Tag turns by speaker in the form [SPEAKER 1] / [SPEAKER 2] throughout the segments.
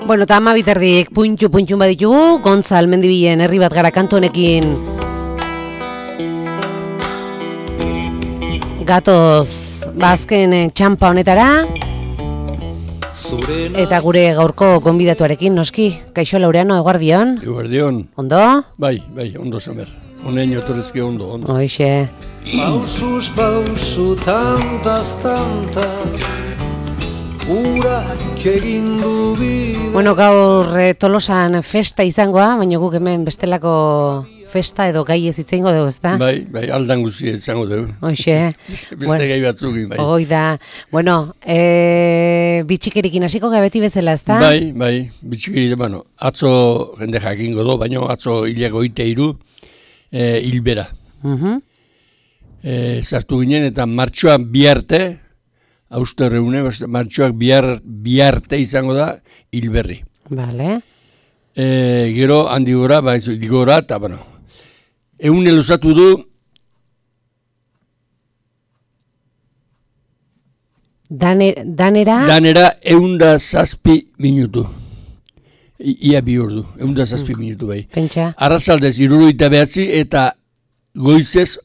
[SPEAKER 1] Bueno, eta 12:00 puntxu baditugu, Gontzal Mendibilen herri bat gara kantu honekin. Gatoz, azken txampa honetara. Eta gure gaurko gonbidatuarekin, noski, Kaixo Laureano, eguardion.
[SPEAKER 2] Eguardion.
[SPEAKER 1] Ondo?
[SPEAKER 2] Bai, ondo zamer. Honein otorrezke ondo.
[SPEAKER 1] Hoixe.
[SPEAKER 3] Pausuz pausu tantaz urak egin du bide.
[SPEAKER 1] Bueno, gaur Tolosan festa izangoa, baina guk hemen bestelako festa edo gai ez itzengo dugu, ezta?
[SPEAKER 2] Bai, aldan guzti izango dugu.
[SPEAKER 1] Hoixe.
[SPEAKER 2] Beste gai batzukin, bai.
[SPEAKER 1] Hoi da. Bueno, bitxikerikin hasiko ga beti bezala, ezta?
[SPEAKER 2] Bai, bitxikerik, bueno, atzo jende jakingo do, baina atzo hilego 23 hilbera. Sartu ginen eta martxoan biharte, austerreune, martxoak biharte izango da hilberri.
[SPEAKER 1] Vale.
[SPEAKER 2] Gero handi gora, gora, eta bueno, eune luzatu du
[SPEAKER 1] Danera
[SPEAKER 2] 107 minutu. Ia bi ordu, 107 minutu bai.
[SPEAKER 1] Pentsa.
[SPEAKER 2] Arrazaldez 79 eta goizez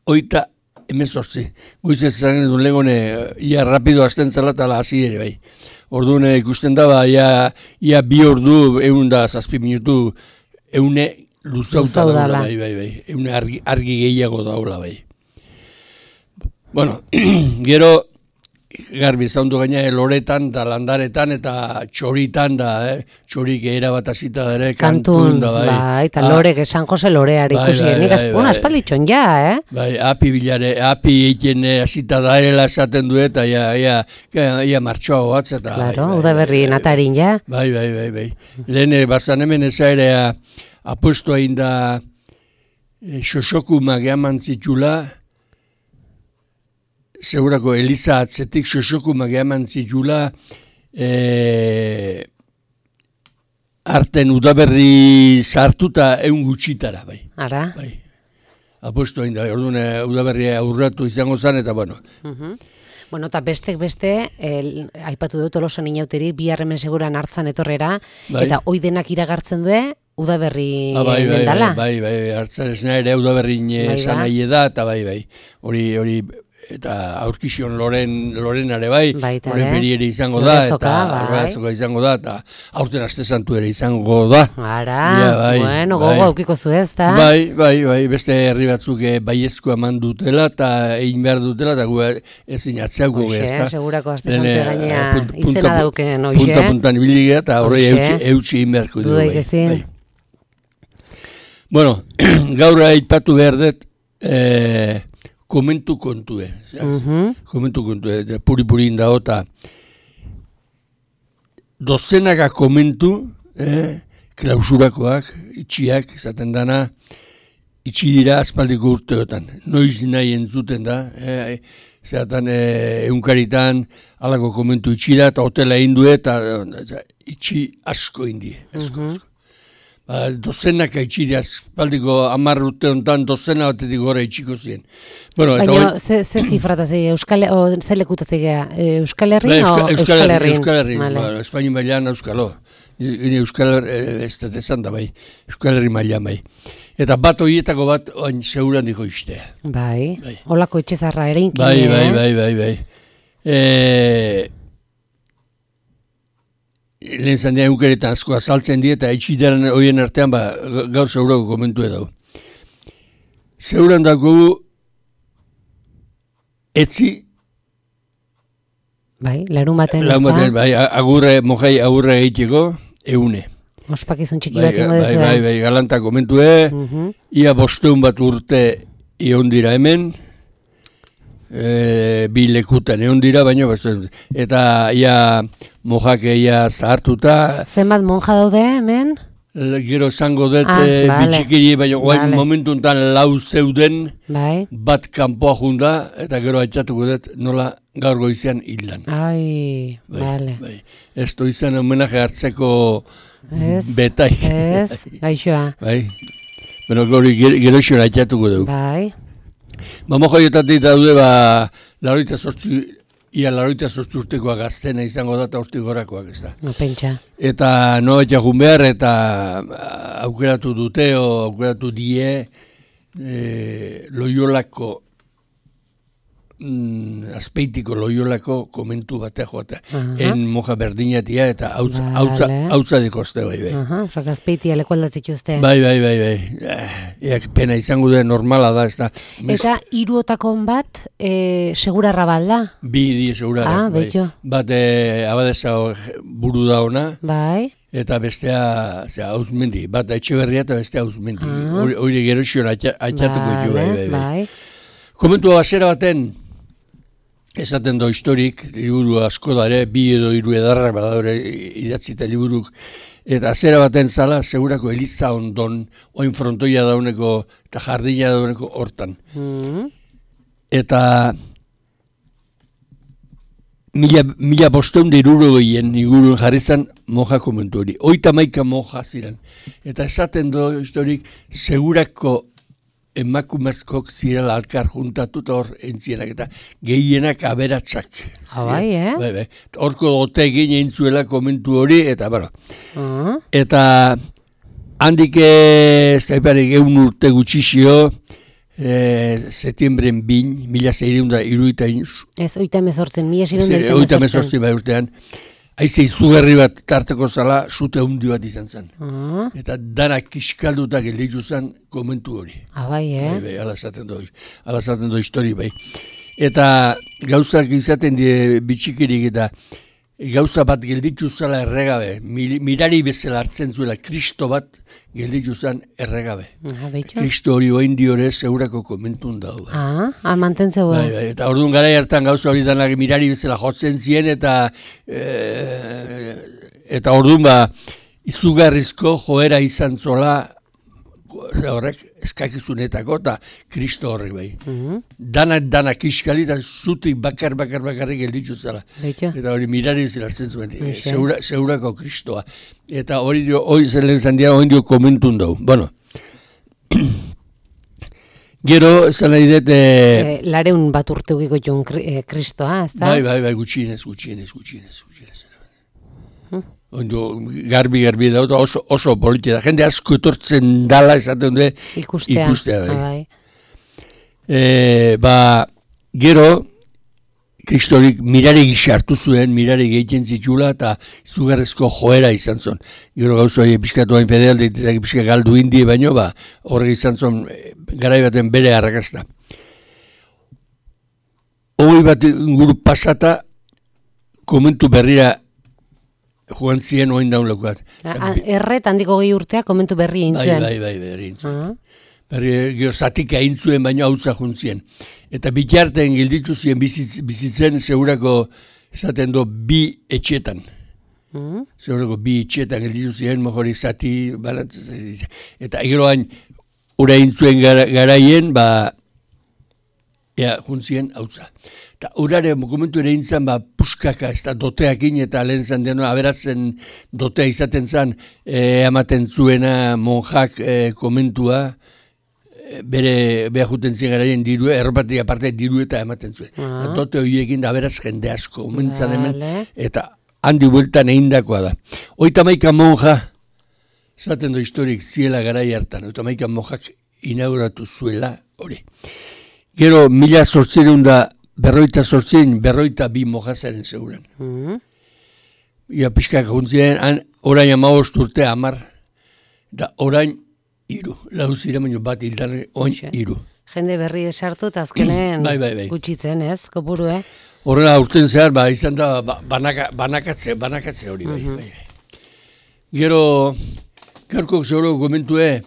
[SPEAKER 2] 18. Goizez zanen duen legone, ia rapido hasten zela eta hasi ere bai. Orduan ikusten da, ia bi ordu 107 minutu eune luzauta daula bai. Eune argi gehiago daula bai. Bueno, gero garbi zaundu gaina loretan da landaretan eta txoritan da, txorik era bat hasita ere kantun da bai.
[SPEAKER 1] Bai, eta lorek San Jose loreari ikusi. Nik aspalditxon ja,
[SPEAKER 2] Bai, api egiten hasita da erela esaten du eta ia martxoa batz eta.
[SPEAKER 1] Claro, udaberri natarin ja.
[SPEAKER 2] Bai. Lehen bazan hemen ezaerea apuesto egin da xoxokumak eman zitula. Segurako Eliza atzetik xoxokumak eman zitula arten udaberri sartuta egun gutxitara, bai.
[SPEAKER 1] Ara?
[SPEAKER 2] Bai. Apuesto egin da, orduan udaberria aurratu izango zen, eta bueno.
[SPEAKER 1] Bueno, eta beste, aipatu dut Tolosan inauteri, biharremen seguran hartzan etorrera, eta hoi denak iragartzen du, udaberri mendala.
[SPEAKER 2] Bai, hartzan esna ere udaberri esan nahi da, eta bai. Hori eta aurkizion lorenare bai, loren beri ere izango da, eta arrazoka izango da, eta aurten aste santu ere izango da.
[SPEAKER 1] Ara, bueno, gogo aukiko zu ez, da?
[SPEAKER 2] Bai, beste herri batzuk baiezkoa eman dutela, eta egin behar dutela, eta gu ezin atzeako ez, da?
[SPEAKER 1] Segurako aste santu gainea izena dauken, oixe?
[SPEAKER 2] Punta-puntan ibiligea, eta horre eutxi egin beharko dugu.
[SPEAKER 1] Dudaik ezin.
[SPEAKER 2] Bueno, gaur aipatu behar dut, komentu kontue. Komentu kontue, puri indao, eta dozenaka komentu, klausurakoak, itxiak, esaten dana, itxi dira aspaldiko urteotan. Noiz nahi entzuten da, zeratan eunkaritan, alako komentu itxira, eta hotela indue, eta itxi asko indie, asko. Dozenaka itxiri aspaldiko 10 urte honetan dozena batetik gora itxiko ziren.
[SPEAKER 1] Baina, ze zifrata ze lekuta zegea? Euskal Herrin o Euskal Herrin?
[SPEAKER 2] Euskal Herrin, Espaini mailan euskalo. Euskal ez da esan da bai, Euskal Herri mailan bai. Eta bat horietako bat oain seguran diko istea.
[SPEAKER 1] Bai, holako etxezarra ere inkin.
[SPEAKER 2] Bai. Lehen zandean eukeretan asko azaltzen die, eta itxideran horien artean gaur segurako komentu edo. Seguran dago etzi.
[SPEAKER 1] Bai, larumaten ez da.
[SPEAKER 2] Bai, mojai agurre egiteko, eune.
[SPEAKER 1] Ospakizun txiki bat ingo dezu.
[SPEAKER 2] Bai, galanta komentue, ia 500 bat urte ion dira hemen, bi lekutan egon dira, baina eta ia mojak ia zahartuta.
[SPEAKER 1] Zenbat monja daude hemen?
[SPEAKER 2] Gero esango dut bitxikiri, baina momentu enten 4 zeuden, bat kanpoa junda, eta gero aitzatuko dut nola gaur goizean hildan.
[SPEAKER 1] Bale.
[SPEAKER 2] Ez izan homenaje hartzeko betai.
[SPEAKER 1] Ez, gaixoa.
[SPEAKER 2] Bueno, hori geroxon aitatuko dugu.
[SPEAKER 1] Bai.
[SPEAKER 2] Moja jotatik daude, laroita sortzi urtekoa gaztena izango da, eta hortik gorakoak ez da.
[SPEAKER 1] No, pentsa.
[SPEAKER 2] Eta no etxakun behar, eta aukeratu dute, aukeratu die, Loiolako, Azpeitiko Loiolako komentu batea joatea. En moja berdinatia eta hautza dikoste bai.
[SPEAKER 1] Osak Azpeitia leku aldatzituzte.
[SPEAKER 2] Bai. Pena izango da normala da, ez da.
[SPEAKER 1] Eta hiruotakon bat, segurarra balda?
[SPEAKER 2] Bi die segurarra.
[SPEAKER 1] Betxo.
[SPEAKER 2] Bat abadeza buru da ona.
[SPEAKER 1] Bai.
[SPEAKER 2] Eta bestea, Hauzmendi. Bat Etxeberria eta bestea Hauzmendi. Hori geroxion atxatuko ditu, bai. Komentu basera baten, esaten do historik, liburu asko dare, 2 edo 3 edarrak badadore idatzita liburuk, eta zera baten zala, segurako Eliza ondon, oin frontoia dauneko, eta jardina dauneko hortan. Eta 1500 inguruen jarri zen moja komentu hori. 31 moja ziren. Eta esaten do historik, segurako emakumezkok zirela alkar juntatu eta hor entzienak eta gehienak aberatsak.
[SPEAKER 1] Bai,
[SPEAKER 2] Bai. Horko dote egin entzuela komentu hori, eta bueno. Eta handik zaiparik 1 urte gutxixio, setiembren 2, 1630.
[SPEAKER 1] Ez, 1818.
[SPEAKER 2] 1818 bai urtean. Aize izugarri bat tarteko zala, sute handi bat izan zen. Eta danak kiskalduta gelditu zen komentu hori.
[SPEAKER 1] Bai,
[SPEAKER 2] Bai, ala zaten do histori, bai. Eta gauzak izaten die bitxikirik eta gauza bat gelditu zela erregabe. Mirari bezala hartzen zuela, Kristo bat gelditu zen erregabe. Kristo hori oin diore segurako komentun dago.
[SPEAKER 1] Mantentzeu.
[SPEAKER 2] Bai, eta orduan gara hartan gauza hori danak mirari bezala jotzen zien eta orduan izugarrizko joera izan zola horrek eskakizunetako eta Kristo horrek bai. Danak iskali eta zutik bakarrik gelditu zela. Eta hori mirari bezala hartzen zuen, segurako Kristoa. Eta hori zelen zandia hori dio komentun dugu. Bueno, gero, esan nahi dut...
[SPEAKER 1] 200 bat urte ugiko joan Kristoa, ez da?
[SPEAKER 2] Bai, gutxienez. Garbi da, oso politia da. Jende asko etortzen dala esaten du ikustea. Bai. Gero, Kristorik mirari gisa hartu zuen, mirari gehiten zitula eta izugarrezko joera izan zon. Gero gauzo pixkatu hain fedealde eta pixka galdu indi baino, horrek izan zon garai baten bere arrakazta. 20 bat inguru pasata komentu berrira joan ziren oin daun lekuat.
[SPEAKER 1] Erret handiko 20 urtea komentu berri egin zuen.
[SPEAKER 2] Bai, berri egin zuen. Gero zatika egin zuen baino hautza juntzien. Eta bitartean gelditu ziren bizitzen segurako esaten do 2 etxetan. Segurako 2 etxetan gelditu ziren mojorik zati banatzen. Eta geroan ura egin zuen garaien juntzien hautza. Eta urare komentu ere intzan, puskaka, ez da doteakin eta lehen zan deno, aberatzen dotea izaten zan, ematen zuena monjak komentua, bere juten zien garaien diru, erropatik aparte diru eta ematen zuen. Dote horiekin da aberaz jende asko, omentzan hemen, eta handi bueltan egindakoa da. 31 monja, zaten do historik ziela garai hartan, 31 monjak inauguratu zuela hori. Gero 1848 mojazaren seguran. Ia pixkak juntzien, orain 15 urte 10, da orain 3. Lau ziren baino bat hildan oin 3.
[SPEAKER 1] Jende berri esartu eta azkenen gutxitzen, ez, kopuru,
[SPEAKER 2] Horrela urten zehar, izan da banakatze hori, bai. Gero, garko seguro komentue,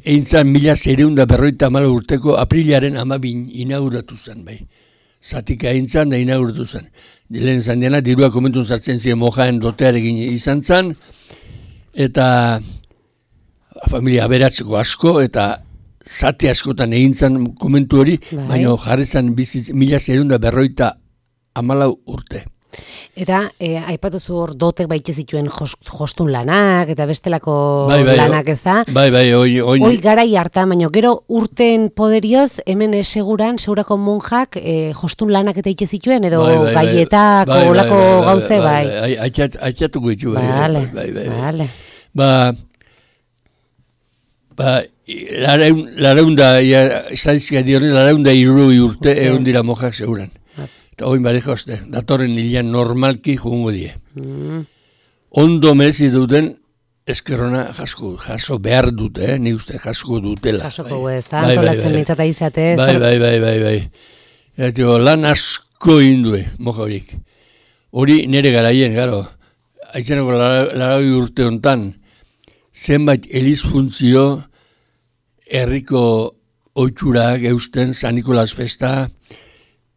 [SPEAKER 2] egin zan 1654 urteko aprilaren 12 inauguratu zen, bai. Zatika egin zan da inauguratu zen. Lehen zan dena, dirua komentun zartzen ziren mojaen dotearekin izan zan, eta familia aberatzeko asko, eta zati askotan egin zan komentu hori, baina jarri zan 1654 urte.
[SPEAKER 1] Eta aipatuzu hor dotek baite zituen jostun lanak eta bestelako lanak, ez da?
[SPEAKER 2] Bai,
[SPEAKER 1] Hoi garai hartan, baina gero urten poderioz, hemen segurako monjak jostun lanak eta ite zituen, edo gaietak, olako gauze, bai.
[SPEAKER 2] Aitzatuko ditu, bai.
[SPEAKER 1] Vale.
[SPEAKER 2] Lareunda, estadistika dioren, lareunda irurogei urte egon dira mojak seguran. Eta oin bareja oste, datorren hilean normalki joango die. Ondo merezi duten eskerrona jaso behar dute, ni uste jasko dutela.
[SPEAKER 1] Jasoko ez da, antolatzen mintzata izatez.
[SPEAKER 2] Bai. Eta lan asko indue, moja horik. Hori nire garaien, garo, haitzenako laragoi urte hontan, zenbait eliz funtzio, herriko oitxurak eusten, San Nikolas festa,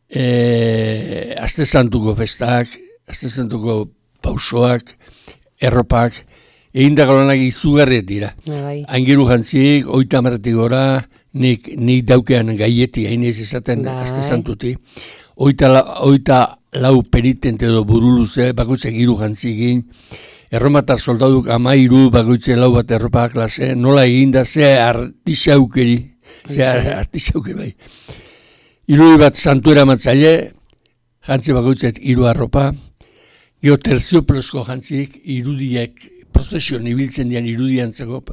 [SPEAKER 2] Aste Santuko festak, Aste Santuko pausoak, erropak, egindako lanak izugarriet dira. Aingeru jantzik, 30 gora, nik daukean gaieti hainez izaten Aste Santuti. 34 penitente edo buruluze, bakoitzak 3 jantzikin, erromatar soldaduk 13 bakoitzen 4 bat erropa klase, nola eginda, ze artisaukeri bai. 3 bat santuera matzaile, jantzi bakoitzet 3 arropa, gero terzioplosko jantzik, irudiek, prozesion ibiltzen dian irudiantzeko,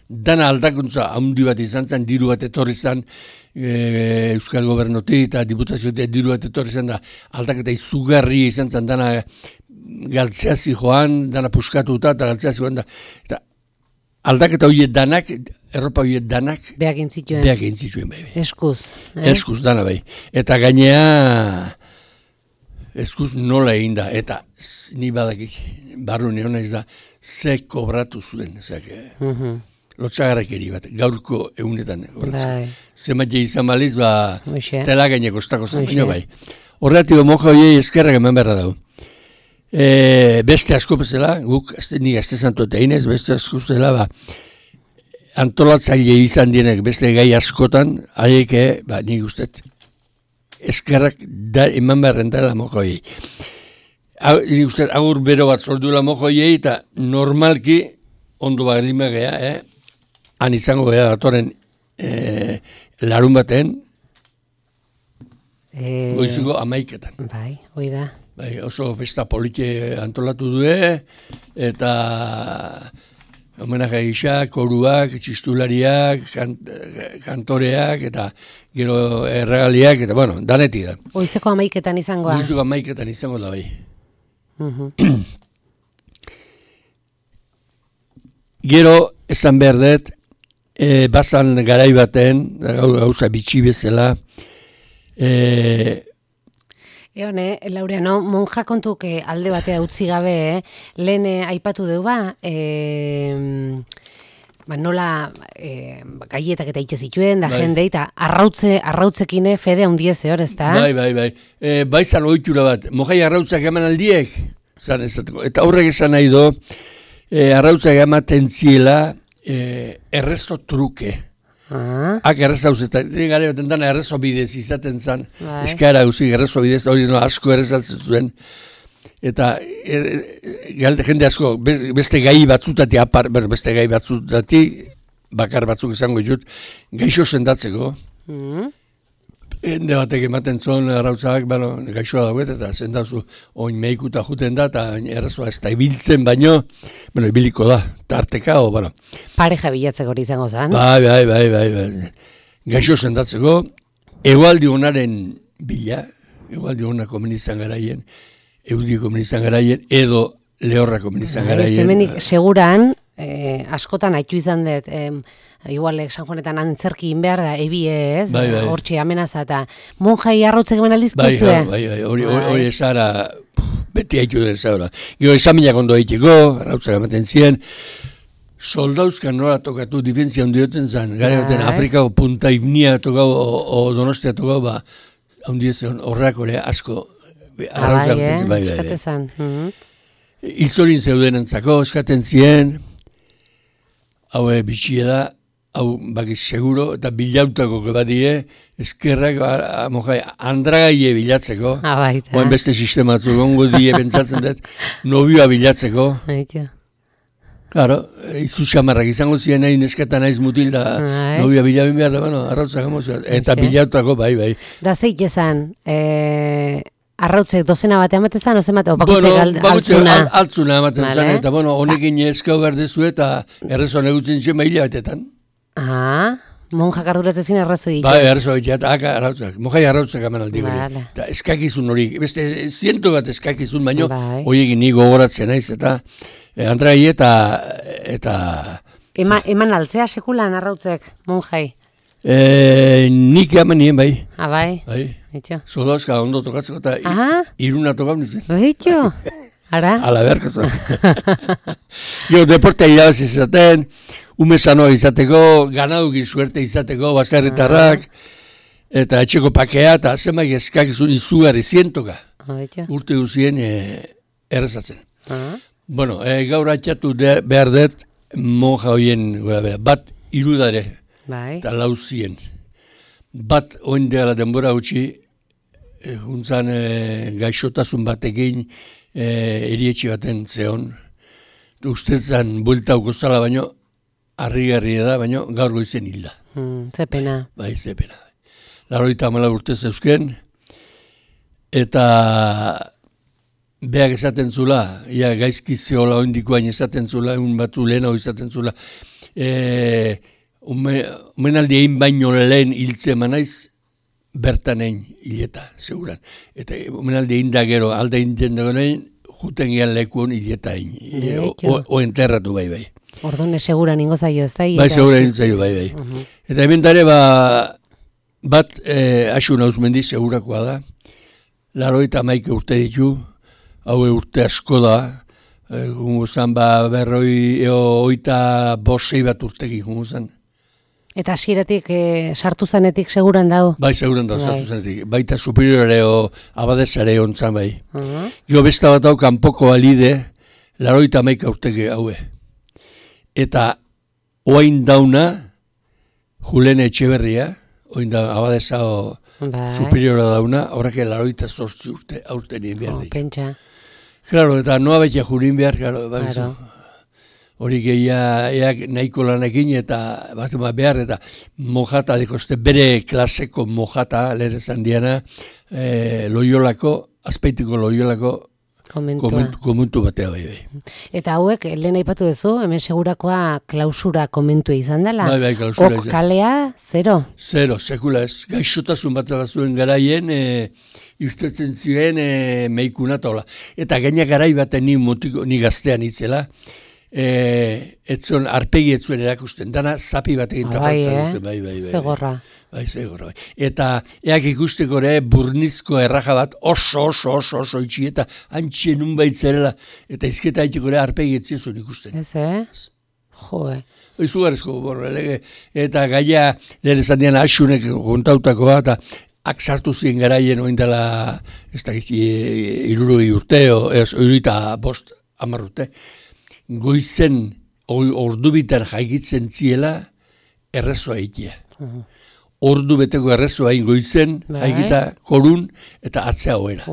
[SPEAKER 2] dana aldakuntza handi bat izan zen, diru bat etorri zen, Euskal Gobernotik eta diputazioetik diru bat etorri zen da, aldaketa izugarri izan zen, dana galtzeazi joan, dana puskatuta eta galtzeazi joan da. Eta aldaketa horiek danak, erropa horiek danak,
[SPEAKER 1] beak
[SPEAKER 2] intzituen bai.
[SPEAKER 1] Eskuz.
[SPEAKER 2] Eskuz dana bai. Eta gainea, eskuz nola egin da. Eta ni badakik, barru neona ez da, ze kobratu zuen. Lotxagarrakeri bat, gaurko egunetan. Zematia izan baliz, tela gaine kostako zen, bai. Horretiko moja horiei eskerrak eman beharra dago. Beste asko bezala, guk nik Aste Santu eta inez, beste asko bezala, antolatzaile izan dienek beste gai askotan, haiek, nik ustet, eskerrak eman beharren dela moja horiei. Nik ustet, agur bero bat zorduela moja horiei, eta normalki, ondo bagrimea geha, han izango geha datoren larun baten, goiziko 11etan.
[SPEAKER 1] Bai, hoi da.
[SPEAKER 2] Bai, oso festa polite antolatu due, eta homenaje gisa, koruak, txistulariak, kantoreak, eta gero erregaliak, eta bueno, danetik da.
[SPEAKER 1] Goizeko 11etan izangoa.
[SPEAKER 2] Goizeko 11etan izango da, bai. Gero, esan behar dut, bazan garai baten, gauza bitxi bezala,
[SPEAKER 1] Laureano, monja kontuk alde batea utzi gabe, lehen aipatu deu nola gaietak eta itxe zituen, da jende, eta arrautzekine fede handiez hor, ez da?
[SPEAKER 2] Bai. Baizan ohitura bat, mojai arrautzak eman aldiek, eta horrek esan nahi do, arrautzak ematen ziela errezo truke. Ak errezo hauzetan, gare baten dana errezo bidez izaten zen, eskara hauzik errezo bidez, hori asko errezatzen zuen, eta jende asko, beste gai batzutati, beste gai batzutati, bakar batzuk izango ditut, gaixo sendatzeko, hende batek ematen zuen arrautzak, gaixoa dauet, eta zendauzu oin meikuta juten da, eta errezoa ez da ibiltzen baino, ibiliko da, tarteka,
[SPEAKER 1] pareja bilatzeko hori izango zen.
[SPEAKER 2] Bai. Gaixo sendatzeko, egualdi honaren bila, egualdi hona komenizan garaien, eudi komenizan garaien, edo lehorra komenizan garaien.
[SPEAKER 1] Hemenik seguran, askotan haitu izan dut, igual San Juanetan antzerki behar da, ez? Hortxe amenaza eta monjai arrautzek eman aldizkizue?
[SPEAKER 2] Bai, hori esara, beti haitu den zaura. Gero esaminak ondo haiteko, arrautzak ematen ziren, soldauzkan nola tokatu difentzia ondioten zen, gare baten Afrikako punta ibnia tokau, o Donostia tokau, ondietzen horreak hori asko, arrautzak bai.
[SPEAKER 1] Eskatzen zen.
[SPEAKER 2] Hilzorin zeuden entzako, eskaten ziren, hau bitxia da, hau bakiz seguro, eta bilautako badie, eskerrak, monjai, andragaie bilatzeko, oen beste sistematzu, gongo die pentsatzen dut, nobioa bilatzeko. Claro, izu xamarrak izango ziren nahi nesketa naiz mutil da nobia bilabin behar da, bueno, arrautzak emozioa, eta bilautako, bai.
[SPEAKER 1] Da zeik esan, arrautzek dozena batean batezan, ozen bat, bakutzek altzuna?
[SPEAKER 2] Altzuna ematen zan, eta bueno, honekin eskau berdezu eta errezon egutzen zuen bahila batetan.
[SPEAKER 1] Monjak arduratzezin arrazo dituz.
[SPEAKER 2] Bai, arrazo dituz, eta arrautzak, monjai arrautzak eman aldi hori. Eta eskakizun hori, beste ziento bat eskakizun, baino, horiekin ni gogoratzen naiz, eta Andrai eta...
[SPEAKER 1] Eman altzea sekulan arrautzek, monjai?
[SPEAKER 2] Nik eman nien, bai.
[SPEAKER 1] Bai?
[SPEAKER 2] Zodazka ondo tokatzeko eta iruna tokau nintzen.
[SPEAKER 1] Baitxo, ara?
[SPEAKER 2] Ala beharkazu. Jo, deportea irabaz izaten, ume sanoa izateko, ganadukin suerte izateko, baserritarrak, eta etxeko pakea, eta zenbait eskakizun izugarri zientoka. Urte guzien errezatzen. Bueno, gaur atxatu behar dut monja horien bat irudare eta lauzien. Bat oindela denbora gutxi, juntzan gaixotasun batekin erietxe baten zeon. Ustetzan bueltauko zala baino, harrigarria da, baino gaur goizen hilda.
[SPEAKER 1] Ze pena.
[SPEAKER 2] Bai, ze pena. 84 urte zeuzken, eta... Beak esaten zula, gaizki zehola oindikoain esaten zula, egun batu lehena izaten zula. Omenaldi egin baino lehen hiltze manaiz, bertan egin hileta, seguran. Eta omenaldi egin da gero, alde egin dagoen, juten gehan lekuon hileta egin. O enterratu bai.
[SPEAKER 1] Ordone seguran ingo zaio ez da?
[SPEAKER 2] Bai, seguran ingo zaio bai. Eta hemen dare, bat Asun Auzmendi segurakoa da. 81 urte ditu. Haue urte asko da, gunguzan berroi oita bosei bat urtekin gunguzan.
[SPEAKER 1] Eta hasieratik sartu zanetik seguran dago?
[SPEAKER 2] Bai, seguran dago sartu zanetik. Baita superiore o abadesare ontzan bai. Jo besta bat hau kanpoko alide, 81 urteke haue. Eta oain dauna, Julene Etxeberria, oain da abadesa superiora dauna, horrek 88 urte aurten egin behar dik.
[SPEAKER 1] Pentsa.
[SPEAKER 2] Claro, eta noa betia jurin behar, hori gehiak nahiko lanekin eta behar, eta mojata, dikoste, bere klaseko mojata, lehen esan diana, Loiolako, Azpeitiko Loiolako komentu batea bai.
[SPEAKER 1] Eta hauek, lehen aipatu duzu, hemen segurakoa klausura komentua izan dela?
[SPEAKER 2] Bai, klausura izan.
[SPEAKER 1] Ok kalea, 0?
[SPEAKER 2] 0, sekula ez. Gaixotasun bat zuen garaien, ustetzen ziren meikuna tola. Eta gaina garai baten ni gaztean itzela, etzuen arpegi etzuen erakusten, dana zapi batekin tapatzen duzen. Bai.
[SPEAKER 1] Zegorra.
[SPEAKER 2] Bai, zegorra. Eta eak ikusteko ere burnizko erraja bat oso itxi eta antxien unbait zerela, eta izketa haiteko ere arpegi etzien ikusten.
[SPEAKER 1] Ez, Joe.
[SPEAKER 2] Izugarrizko, eta gaia lehen esan dian Asunek kontautako bat, eta ak sartu ziren garaien oindela, ez da irurogei urte, oirita bost 10 urte, goizen ordubitan jaigitzen ziela errezoa egitea. Ordu beteko errezoa egin goizen, haigita korun eta atzea hoera.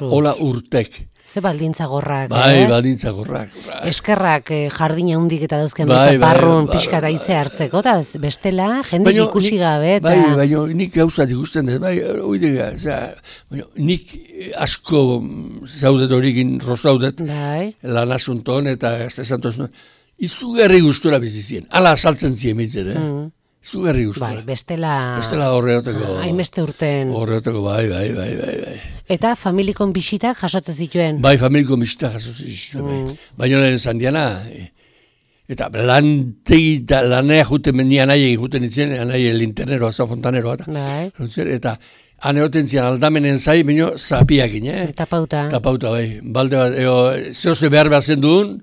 [SPEAKER 2] Hola urtek.
[SPEAKER 1] Ze baldintza gorrak.
[SPEAKER 2] Bai, baldintza gorrak.
[SPEAKER 1] Eskerrak jardina hundik eta dauzken barrun pixka daize hartzeko, eta bestela, jendik ikusi gabe.
[SPEAKER 2] Bai, baina nik gauzat ikusten dut, bai, oidega, nik asko zaudet horikin rozaudet, lan asunton eta gaztesantoz, izugarri gustura bizizien, ala asaltzen zien mitzen, izugarri gustura.
[SPEAKER 1] Bai, bestela
[SPEAKER 2] horretako.
[SPEAKER 1] Hainbeste urten.
[SPEAKER 2] Horretako, bai.
[SPEAKER 1] Eta familikon bisitak jasotzen zituen?
[SPEAKER 2] Bai, familikon bisitak jasotzen zituen. Baina lehen esan diana, eta lanea juten mendia anai juten itzen, anai linternero, azafontanero, eta aneoten zian aldamenen zai, baina zapiakin,
[SPEAKER 1] Tapauta.
[SPEAKER 2] Tapauta, bai. Balde bat, zehose behar zen duen,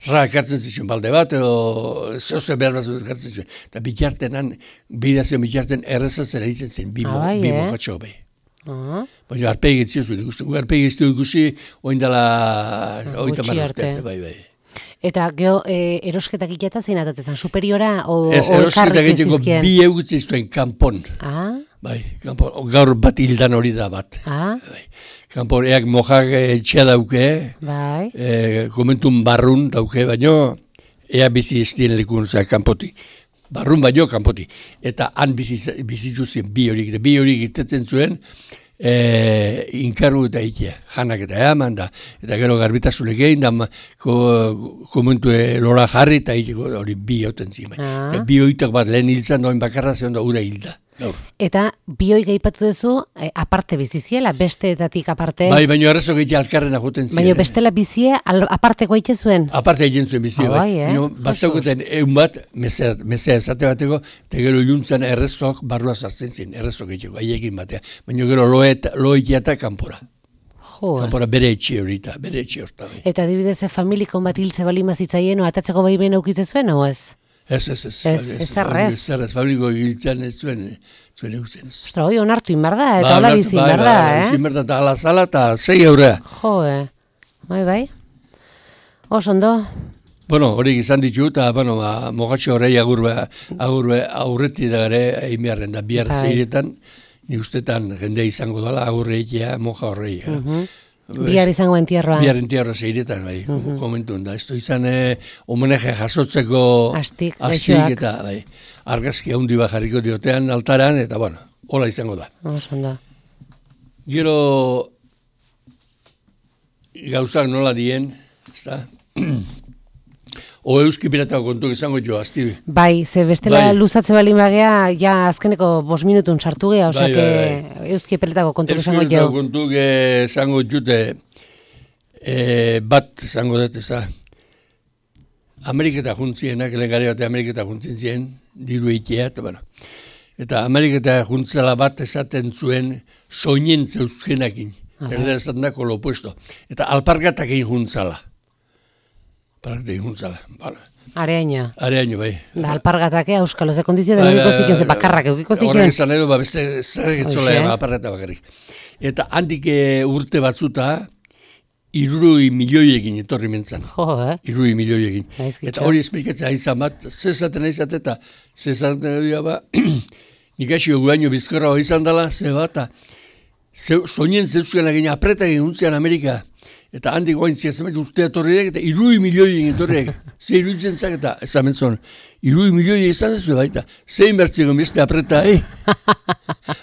[SPEAKER 2] ekartzen zituen balde bat, zehose behar ekartzen zituen. Eta bitartenan, bidazion bitarten errezatzen eritzen zen, bi mokatxo, bai. Baina arpegi etzio zuen ikusten. Arpegi etzio ikusi, oindala 30 arte, bai.
[SPEAKER 1] Eta geho, erosketak iketa zein atatzen, superiora o
[SPEAKER 2] erosketak egiteko bi egutzi zuen kanpon. Bai, kanpon, gaur bat hildan hori da bat. Bai. Kanpon, eak mojak etxea dauke, bai. Komentun barrun dauke, baino, ea bizi estien lekun, kanpoti. Barrun baino kanpoti. Eta han bizitu zen bi horik irtetzen zuen, inkarru eta ikia, janak eta eaman da, eta gero garbitasunek egin da, komentu lora jarri eta hori bi hauten zimen. Eta bi hoitak bat lehen hiltzan doin bakarra zeon da ura hilda.
[SPEAKER 1] Eta bi hoi gaipatu duzu, aparte biziziela, besteetatik aparte?
[SPEAKER 2] Bai, baina errezo gehiagia alkarrena joten ziren.
[SPEAKER 1] Baina bestela bizie, aparteko egiten zuen?
[SPEAKER 2] Aparte egiten zuen bizie, bai. Bazauketen egun bat, mesea esate bateko, eta gero iluntzan errezok barrua sartzen ziren, errezo gehiago, aiekin batea. Baina gero loekia eta kanpora. Kanpora bere etxe horita, bere etxe horta.
[SPEAKER 1] Eta adibidez, familikon bat hiltze balima zitzaien, atatzeko baimen aukitze zuen, o ez?
[SPEAKER 2] Ez.
[SPEAKER 1] Ez.
[SPEAKER 2] Fabriko giltzean ez zuen eutzen.
[SPEAKER 1] Ostra, hoi onartu inbarda, eta hola bizi inbarda,
[SPEAKER 2] bizi inbarda, eta ala zala, eta 6 eurea.
[SPEAKER 1] Bai. Osondo?
[SPEAKER 2] Bueno, horiek izan ditu, eta, mogatxo horrei aurreti da gare, egin da, bihar zeiretan, ni ustetan jende izango dela, agurreikia, moja horrei.
[SPEAKER 1] Bihar izango entierroa.
[SPEAKER 2] Bihar entierroa zeiretan, bai, komentuen da. Ez izan homenaje jasotzeko astik eta argazki handi bat jarriko diotean altaran, eta hola izango da.
[SPEAKER 1] Osondo.
[SPEAKER 2] Gero gauzak nola dien, ez da? O euski piratako kontuk izango jo, azti.
[SPEAKER 1] Bai, ze bestela luzatze balin bagea, ja azkeneko 5 minutun sartu gea, osea, euski piratako kontuk izango jo.
[SPEAKER 2] Euski piratako kontuk izango jute, bat izango dut, ez da. Ameriketa juntzienak, lehen bat Ameriketa juntzien zien, diru eitea, eta Ameriketa juntzela bat esaten zuen soinen zeuzkenakin, erder esaten dako lo opuesto. Eta alpargatak egin juntzala.
[SPEAKER 1] Areaino,
[SPEAKER 2] bai.
[SPEAKER 1] Da, alpargatake, euskalo, ze kondizio deniko zikion, ze bakarrak eukiko zikion.
[SPEAKER 2] Horrek esan edo, beste zerretzola alpargata bakarrik. Eta handik urte batzuta, 3 milioiekin etorri mentzan. 3 milioiekin. Eta hori esplikatzen aizan bat, zezaten aizat eta zezaten edo ba, nik asio guaino bizkorra hori izan dela, ze bat, soinen zeuzken egin apretak egin untzian Amerika. Eta handik goaintzia zemet urtea torriak eta 3 milioien torriak. Ze iruditzen zak eta ezamentzon. 3 milioien izan ez du baita. Zein bertzeko beste apreta,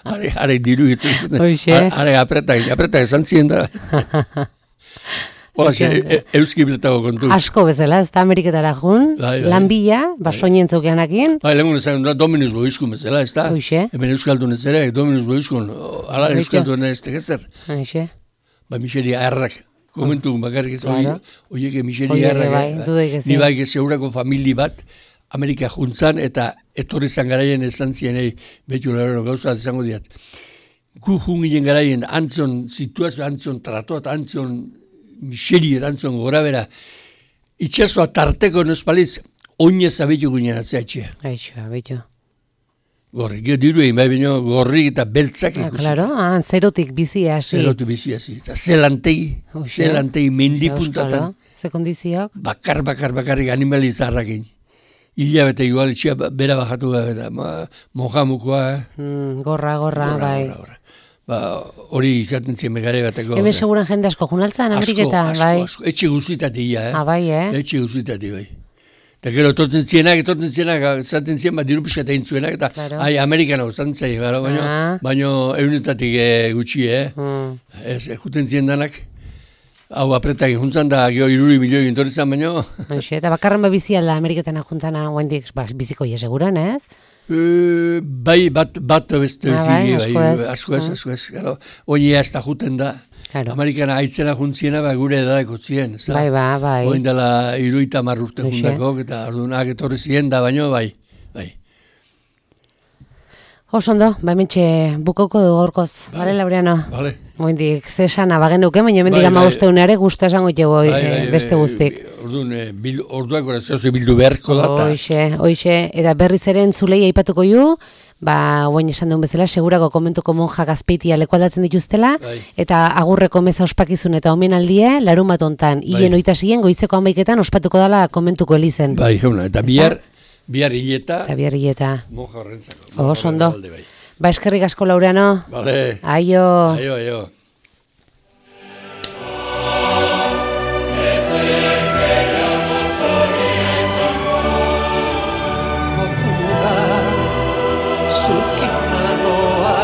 [SPEAKER 2] Are diru gitzen zen. Are apreta esan ziren da. Hola, euski biletako kontu.
[SPEAKER 1] Asko bezala, ez da Ameriketara jun. Lanbila, soinen zeukeanakin.
[SPEAKER 2] Lehengun ezan da Dominus Boizkun bezala, ez da. Hemen euskaldun ez ere, Dominus Boizkun. Ala euskaldun ez tegezer. Miseria errak. Komentu bakarrik ez, oiek miseria errak, ni bai gezeurako famili bat, Amerika juntzan, eta etorri zan garaien esan zien, betu lehero gauza izango diat. Gu jungien garaien, antzion situazio, antzion tratoat, antzion miseria, antzion gora bera, itxasoa tarteko nospaliz, oinez abetu guinean atzeatxea.
[SPEAKER 1] Abetu.
[SPEAKER 2] Gorri, diru egin bai baino gorri eta beltzak ikusi.
[SPEAKER 1] Claro, zerotik bizi hasi.
[SPEAKER 2] Zerotik bizi hasi. Zelantegi mendipuntatan.
[SPEAKER 1] Ze kondiziok?
[SPEAKER 2] Bakarrik animali zarrakin. Hilabete igual itxia bera bajatu eta mojamukoa.
[SPEAKER 1] Gorra, bai.
[SPEAKER 2] Hori izaten zien megare bateko.
[SPEAKER 1] Hemen seguran jende asko junaltzan, Ameriketa, bai.
[SPEAKER 2] Asko, etxe guztitatia,
[SPEAKER 1] bai,
[SPEAKER 2] Etxe guztitatia, bai. Eta gero etortzen zienak, zaten zien bat diru pixka egin zuenak, eta Amerikano zantzai, baina eunetatik gutxi, ez, juten zien danak, hau apretak juntzan da, geho 3 milioi entorrizan, baina...
[SPEAKER 1] Eta bakarren bizi alda Ameriketan juntzana, guendik biziko seguran, ez?
[SPEAKER 2] Bai, bat beste bizi, asko ez, hori ez da juten da. Amerikana aitzena juntziena gure edadeko zien.
[SPEAKER 1] Bai.
[SPEAKER 2] Oin dela 30 urte juntako, eta ordunak etorri zien da, baino bai.
[SPEAKER 1] Osondo, hementxe bukauko du gorkoz. Bale, Laureano?
[SPEAKER 2] Bale.
[SPEAKER 1] Oindik, zesana bagen duke, baina hemendik 15 ere gustu esango jego beste guztik.
[SPEAKER 2] Orduak orazoze bildu beharko da.
[SPEAKER 1] Hoixe, eta berriz ere entzulei aipatuko ju, Oain esan duen bezala, segurako komentuko monjak Azpeitia lekualdatzen dituztela, eta agurreko meza ospakizun eta omenaldie, larumat hontan, hien oitasien, goizeko 11etan ospatuko dela komentuko elizen.
[SPEAKER 2] Bai, jauna, eta bihar hileta.
[SPEAKER 1] Eta bihar hileta.
[SPEAKER 2] Monja horrentzako.
[SPEAKER 1] Ondo. Eskerrik asko, Laureano.
[SPEAKER 2] Vale.
[SPEAKER 1] Aio.
[SPEAKER 2] Aio.
[SPEAKER 3] Sukimanoa